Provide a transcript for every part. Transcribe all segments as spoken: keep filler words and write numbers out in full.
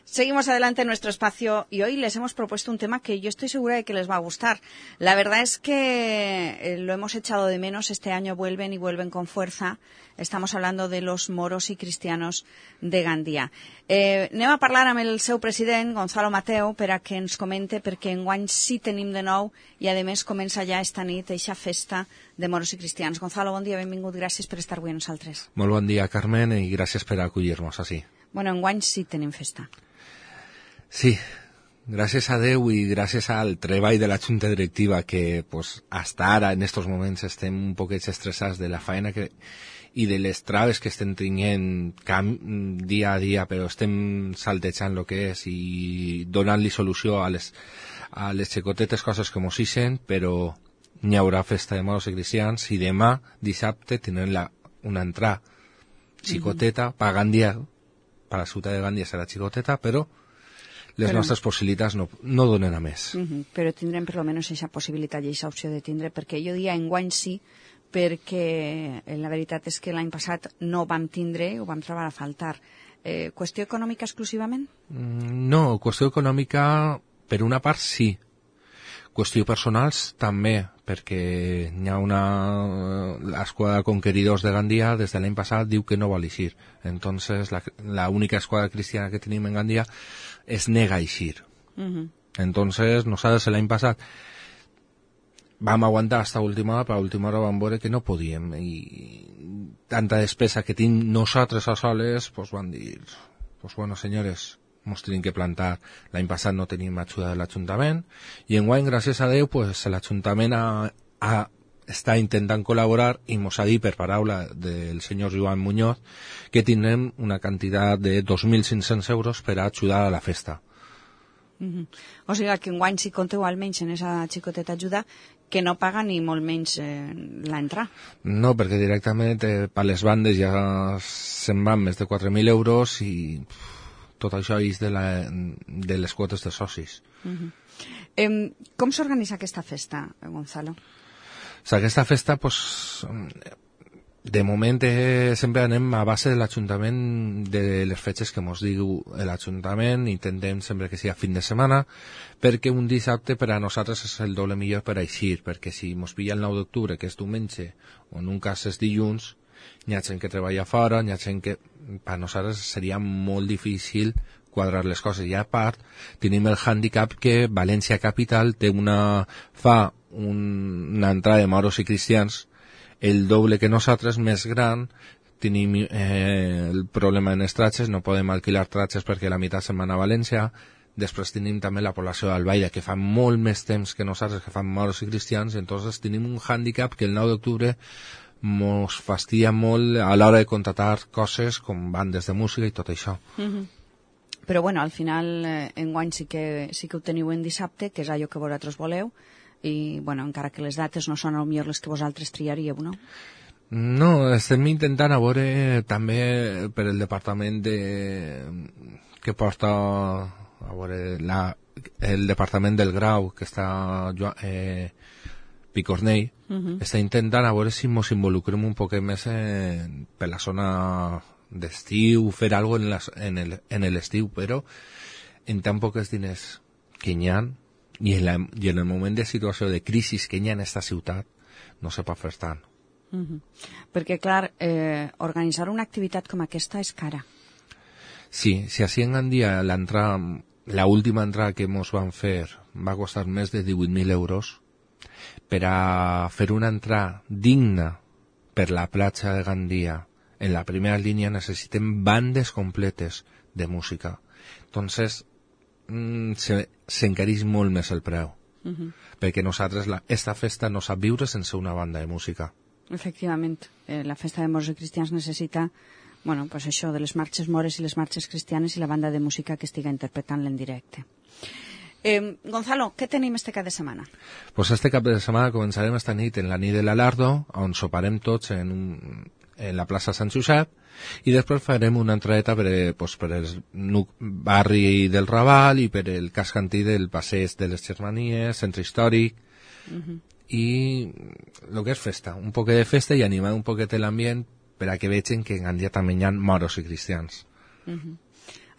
Seguimos adelante en nuestro espacio y hoy les hemos propuesto un tema que yo estoy segura de que les va a gustar. La verdad es que eh, lo hemos echado de menos. Este año vuelven y vuelven con fuerza. Estamos hablando de los moros i cristianos de Gandia. Eh, anem a parlar amb el seu president, Gonzalo Mateu, per a que ens comente, perquè enguany sí tenim de nou i, a més, comença ja esta nit eixa festa de moros i cristians. Gonzalo, bon dia, benvingut, gràcies per estar avui amb nosaltres. Molt bon dia, Carmen, i gràcies per acollir-nos així. Bueno, enguany sí tenim festa. Sí, gràcies a Déu i gràcies al treball de la Junta Directiva que pues, hasta ara, en estos moments, estem un poquet estressats de la feina que, i de les traves que estem tenint dia a dia, però estem saltejant el que és i donant-li solució a les, a les xicotetes coses que mos ixen, però n'hi haurà festa de moros i cristians i demà, dissabte, tindrem la, una entrada xicoteta mm-hmm. per Gandia, per la ciutat de Gandia serà xicoteta, però les però, nostres possibilitats no, no donen a més. Uh-huh, però tindrem per almenys aquesta possibilitat i aquesta opció de tindre, perquè jo diria enguany sí, perquè la veritat és que l'any passat no vam tindre, ho vam trobar a faltar. Eh, qüestió econòmica exclusivament? Mm, no, qüestió econòmica per una part sí. Qüestió personals també, perquè hi ha una... l'esquadra de conqueridors de Gandia des de l'any passat diu que no vol eixir. Entonces la, la única esquadra cristiana que tenim en Gandia es nega a eixir. Uh-huh. Entonces nosaltres l'any passat vam aguantar hasta última hora, però a última hora vam veure que no podíem i tanta despesa que tinc nosaltres a soles, pues van dir, pues bueno senyores, ens tenim que plantar. L'any passat no tenim ajuda de l'Ajuntament i enguany, gràcies a Déu, pues, l'Ajuntament ha, ha, està intentant col·laborar i ens ha dit per paraula del senyor Joan Muñoz que tindrem una quantitat de dos mil cinc-cents euros per a ajudar a la festa. Mm-hmm. O sigui que enguany si compteu almenys en aquesta xicoteta ajuda que no paga ni molt menys eh, l'entrada. No, perquè directament eh, per les bandes ja se'n van més de quatre mil euros i... Pff, tot això és de, la, de les quotes de socis. Uh-huh. eh, com s'organitza aquesta festa, Gonzalo? O sigui, aquesta festa, pues, de moment eh, sempre anem a base de l'Ajuntament de les fetges que ens diu l'Ajuntament, intentem sempre que sigui fin de setmana, perquè un dissabte per a nosaltres és el doble millor per a eixir, perquè si ens pilla el nou d'octubre, que és diumenge, o en un cas és dilluns, hi ha gent que treballa fora, hi ha gent que per nosaltres seria molt difícil quadrar les coses. I a part tenim el handicap que València Capital té una, fa un, una entrada de moros i cristians el doble que nosaltres, més gran. Tenim eh, el problema en els tratges, no podem alquilar tratges perquè la meitat se'n van a València. Després tenim també la població d'Albaida, que fa molt més temps que nosaltres, que fan moros i cristians, i entonces tenim un handicap que el nou d'octubre mos fastidia molt a l'hora de contratar coses com bandes de música i tot això. Mm-hmm. Però bueno, al final eh, enguany sí que, sí que ho teniu en dissabte, que és allò que vosaltres voleu, i bueno, encara que les dates no són potser les que vosaltres triaríeu, no? No, estem intentant a veure també per el departament de... que porta a veure la... el departament del Grau, que està eh, Picornell, uh-huh. està intentant a veure si ens involucrem un poc més en, per la zona d'estiu, fer alguna cosa en, en, en l'estiu, però en tan pocs diners que hi ha i en, la, i en el moment de situació de crisi que hi ha en aquesta ciutat no se pot fer tant. Uh-huh. Perquè, clar, eh, organitzar una activitat com aquesta és cara. Sí, si així en Gandia l'entrada, la última entrada que ens van fer va costar més de divuit mil euros, per a fer una entrada digna per la platja de Gandia en la primera línia necessitem bandes completes de música. Entonces mm, se, s'encareix molt més el preu, uh-huh. perquè nosaltres la, esta festa no sap viure sense una banda de música. Efectivament, eh, la festa de moros i cristians necessita, bueno, pues això de les marxes mores i les marxes cristianes i la banda de música que estiga interpretant-la en directe. Eh, Gonzalo, què tenim este cap de setmana? Pues este cap de setmana començarem esta nit en la nit de l'Alardo, on soparem tots en, un, en la plaça Sant Josep, i després farem una entradeta per, pues, per el barri del Raval i per el casc antic del passeig de les Germanies, centre històric, uh-huh. i el que és festa, un poquet de festa i animar un poquet l'ambient per a que vegin que en Gandia també hi ha moros i cristians. Uh-huh.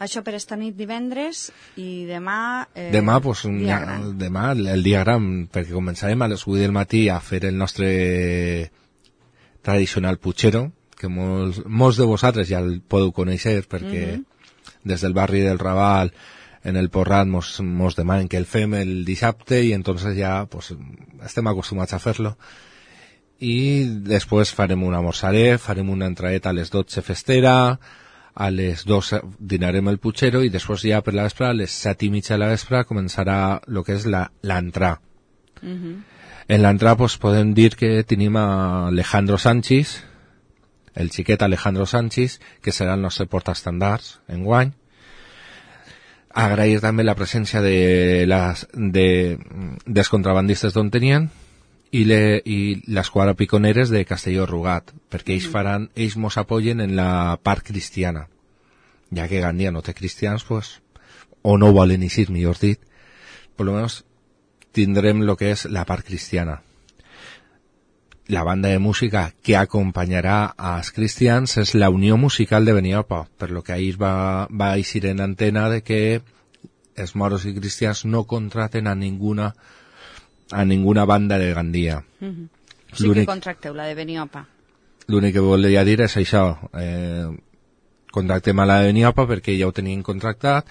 Això per esta nit divendres i demà... Eh, demà, pues, dia ja, gran. demà el dia gran, perquè començarem a les vuit del matí a fer el nostre tradicional putxero, que molts, molts de vosaltres ja el podeu conèixer, perquè uh-huh. des del barri del Raval, en el Porrat, mos, mos demanen que el fem el dissabte i entonces ja pues, estem acostumats a fer-lo. I després farem un amorçaret, farem una entraeta a les dotze festera, a les dos dinarem el putxero i després ja per la vespre, a les set i mitja de la vespre, començarà el que és l'entrà. Uh-huh. En l'entrà pues, podem dir que tenim a Alejandro Sánchez, el xiquet Alejandro Sánchez, que serà el nostre portaestandards enguany. Agrair també la presència de les, de, dels contrabandistes d'on tenien i, le, i l'esquadra Piconeres de Castelló Rugat, perquè ells faran, ells mos apoyen en la part cristiana. Ja que Gandia no té cristians, pues, o no volen eixir, millor dit, per lo menos tindrem lo que és la part cristiana. La banda de música que acompanyarà als cristians és la Unió Musical de Beniopa, per lo que ahir va, va eixir en antena de que els moros i cristians no contraten a ninguna a ninguna banda de Gandia. Uh-huh. Sí que contracteu la de Beniopa. L'únic que volia dir és això, eh, contractem a la de Beniopa perquè ja ho tenien contractat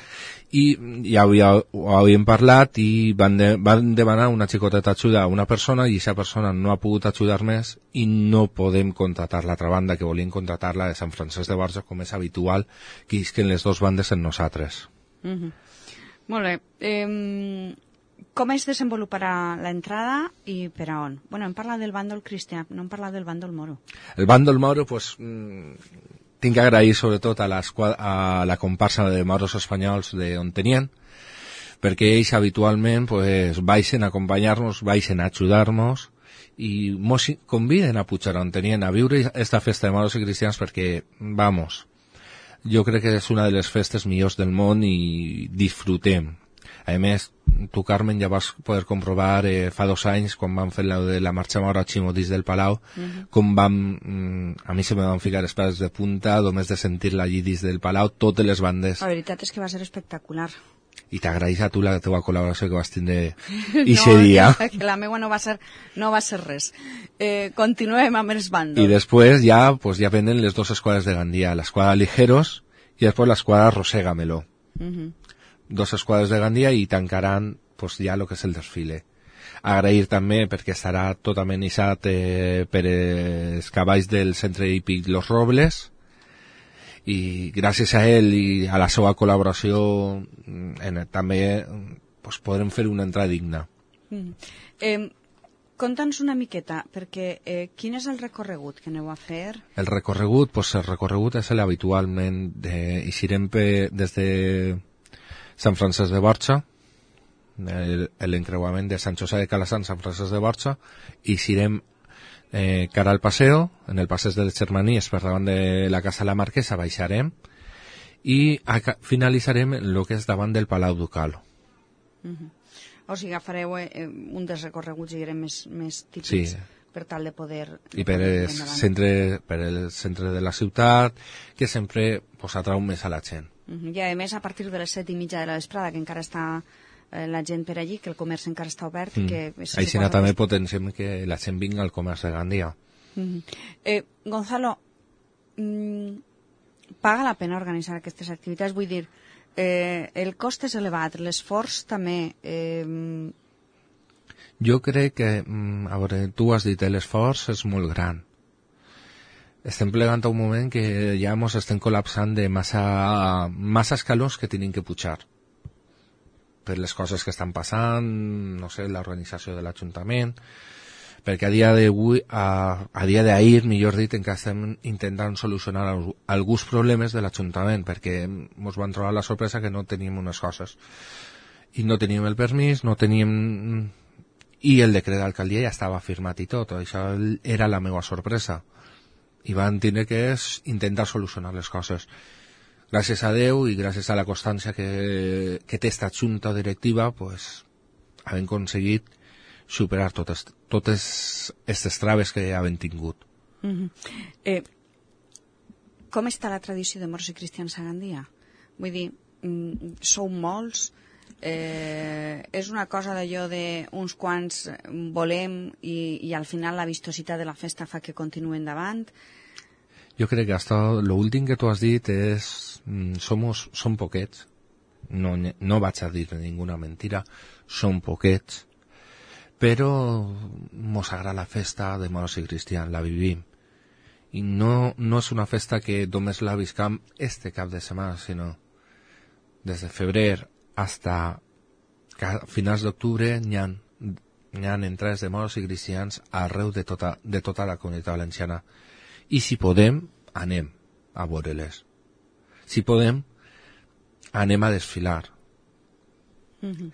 i ja havia, ho havíem parlat i van, de, van demanar una xicoteta ajuda a una persona i aquesta persona no ha pogut ajudar més i no podem contratar l'altra banda que volien contratar la de Sant Francesc de Borja com és habitual que isquen les dues bandes en nosaltres. Uh-huh. Molt bé. Eh, com es desenvoluparà l'entrada i per a on? Bueno, hem parlat del bàndol cristià, no hem parlat del bàndol moro. El bàndol moro, pues... Mm, tinc que agrair sobretot a la, a la comparsa de moros espanyols d'on tenien, perquè ells habitualment pues, baixen a acompanyar-nos, baixen a ajudar-nos i mos conviden a pujar on tenien, a viure esta festa de moros i cristians perquè, vamos, jo crec que és una de les festes millors del món i disfrutem. A més, tu, Carmen, ja vas poder comprovar eh, fa dos anys, quan vam fer la de la marxa mora a Ximotís del Palau, uh-huh. com vam, mm, a mi se me van ficar els peus de punta, només de sentir-la allí dins del Palau, totes les bandes. La veritat és que va ser espectacular. I t'agraïs a tu la teva col·laboració que vas tindre ixe no, dia. No, que la meua no va ser, no va ser res. Eh, continuem amb els bàndols. I després ja, pues, ja venen les dues esquadres de Gandia, l'esquadra Ligeros i després l'esquadra Roségamelo. Uh-huh. Dos esquadres de Gandia i tancaran pues, ja el que és el desfile. Agrair també perquè estarà tot amenitzat eh, per els cavalls del centre hípic Los Robles i gràcies a ell i a la seva col·laboració en, també pues, podrem fer una entrada digna. Mm. Eh, Conta'ns una miqueta, perquè eh, quin és el recorregut que aneu a fer? El recorregut, pues, el recorregut és l'habitualment, eh, eixirem des de Sant Francesc de Borja, l'encreuament de Sant José de Calassant, Sant Francesc de Borja, i eixirem eh, cara al paseo, en el passeig de les Germanies, per davant de la Casa de la Marquesa, baixarem, i finalitzarem el que és davant del Palau Ducal. Uh-huh. O sigui, agafareu eh, un dels recorreguts i més, més típics, sí. Per tal de poder... I per el, centre, per el centre de la ciutat, que sempre pues, atrau més a la gent. Uh-huh. I a més, a partir de les set i mitja de la vesprada, que encara està eh, la gent per allí, que el comerç encara està obert... Mm. Que si Així també potenciem que la gent vinga al comerç de Gandia. Uh-huh. eh, Gonzalo, mm, paga la pena organitzar aquestes activitats? Vull dir, eh, el cost és elevat, l'esforç també... Eh, Jo crec que, a veure, tu has dit, l'esforç és molt gran. Estem plegant a un moment que ja ens estem col·lapsant de massa, massa escalons que tenim que pujar. Per les coses que estan passant, no sé, l'organització de l'Ajuntament, perquè a dia d'avui, a, a dia d'ahir, millor dit, encara estem intentant solucionar alguns problemes de l'Ajuntament, perquè ens van trobar la sorpresa que no teníem unes coses. I no teníem el permís, no teníem... I el decret d'alcaldia ja estava firmat i tot, això era la meva sorpresa. I van tenir que intentar solucionar les coses. Gràcies a Déu i gràcies a la constància que, que té esta junta directiva, pues, hem aconseguit superar totes, totes aquestes traves que havem tingut. Uh-huh. eh, com està la tradició de moros i cristians a Gandia? Vull dir, mm, sou molts, eh, és una cosa d'allò d'uns quants volem i, i al final la vistositat de la festa fa que continuï endavant. Jo crec que hasta l'últim que tu has dit és mm, somos, som poquets, no, no vaig a dir ninguna mentira, som poquets, però mos agrada la festa de moros i cristians, la vivim. I no, no és una festa que només la viscam este cap de setmana, sinó des de febrer hasta finals d'octubre n'hi ha, n'hi ha entrades de moros i cristians arreu de tota, de tota la comunitat valenciana. I si podem, anem a veure-les. Si podem, anem a desfilar. Mm-hmm.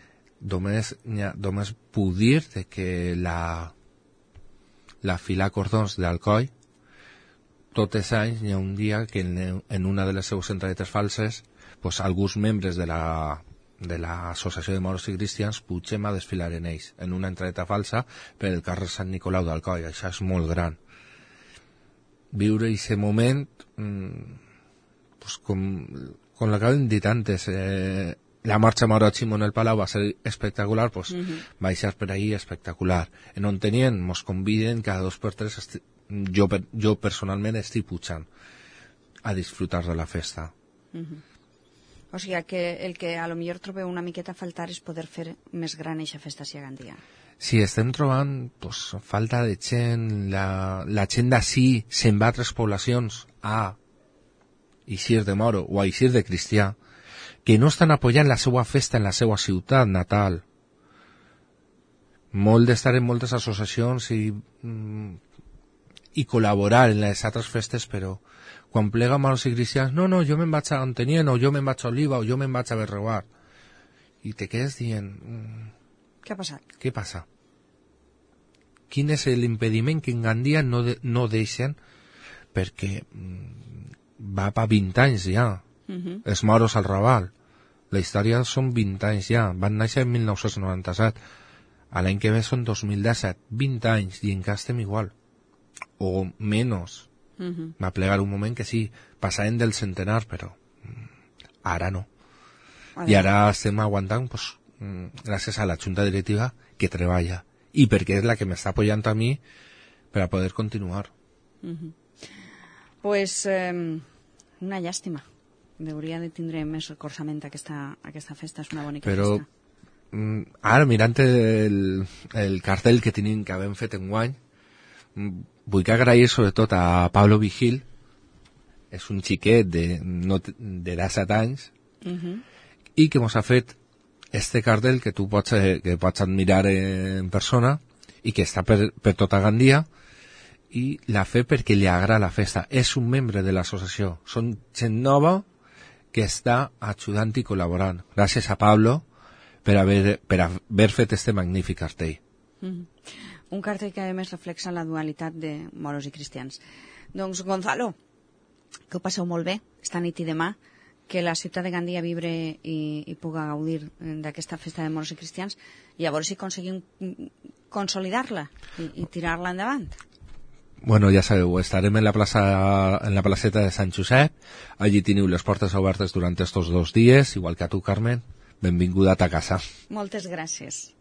Només, només puc dir que la, la fila cordons d'Alcoi, tots els anys hi ha un dia que en, en una de les seues entradetes falses pues, alguns membres de la de l'Associació de Moros i Cristians pugem a desfilar en ells, en una entradeta falsa per el carrer Sant Nicolau d'Alcoi. Això és molt gran. Viure aquest moment mmm, pues, com, com l'acabem dit antes, eh, la marxa Moro Ximón el Palau va ser espectacular, pues, uh-huh. Va ser per ahí espectacular. En on tenien, mos conviden cada dos per tres, esti- jo, jo personalment estic pujant a disfrutar de la festa. Uh-huh. O sigui que el que a lo millor trobeu una miqueta a faltar és poder fer més gran eixa festa si a Gandia. Sí, estem trobant pues, falta de gent, la, la gent d'ací se'n va a altres poblacions a eixir de moro o a eixir de cristià, que no estan apoyant la seva festa en la seva ciutat natal. Molt d'estar en moltes associacions i, mm, i col·laborar en les altres festes, però quan plega moros i cristians, no, no, jo me'n vaig a Ontenien, o jo me'n vaig a Oliva, o jo me'n vaig a Berreguar. I te quedes dient... Mm, què ha passat? Què passa? Quin és l'impediment que en Gandia no, de, no deixen? Perquè mm, va per vint anys ja. Uh-huh. Els moros al Raval. La història són vint anys ja. Van néixer en mil nou-cents noranta-set. A l'any que ve són dos mil disset. vint anys i encara estem igual. O menys. Uh-huh. Va plegar un moment que sí, passàvem del centenar, però ara no. I ara estem aguantant pues, gràcies a la junta directiva que treballa i perquè és la que m'està apoyant a mi per a poder continuar. Uh-huh. Pues eh, una llàstima. Hauria de tindre més recolzament aquesta, aquesta festa, és una bonica però, festa. Mm, ara, mirant el, el cartell que tenim que havem fet enguany, vull que agrair sobretot a Pablo Vigil, és un xiquet de, no, de disset anys, uh-huh. I que mos ha fet este cartell que tu pots, que pots admirar en persona i que està per, per tota Gandia, i l'ha fet perquè li agrada la festa. És un membre de l'associació. Són gent nova que està ajudant i col·laborant. Gràcies a Pablo per haver, per haver fet este magnífic cartell. Uh-huh. Un cartell que a més reflexa la dualitat de moros i cristians. Doncs, Gonzalo, que ho passeu molt bé esta nit i demà, que la ciutat de Gandia vibre i, i puga gaudir d'aquesta festa de moros i cristians, i a veure si aconseguim consolidar-la i, i tirar-la endavant. Bueno, ja sabeu, estarem en la plaça, en la placeta de Sant Josep. Allí teniu les portes obertes durant estos dos dies, igual que a tu, Carmen. Benvinguda a ta casa. Moltes gràcies.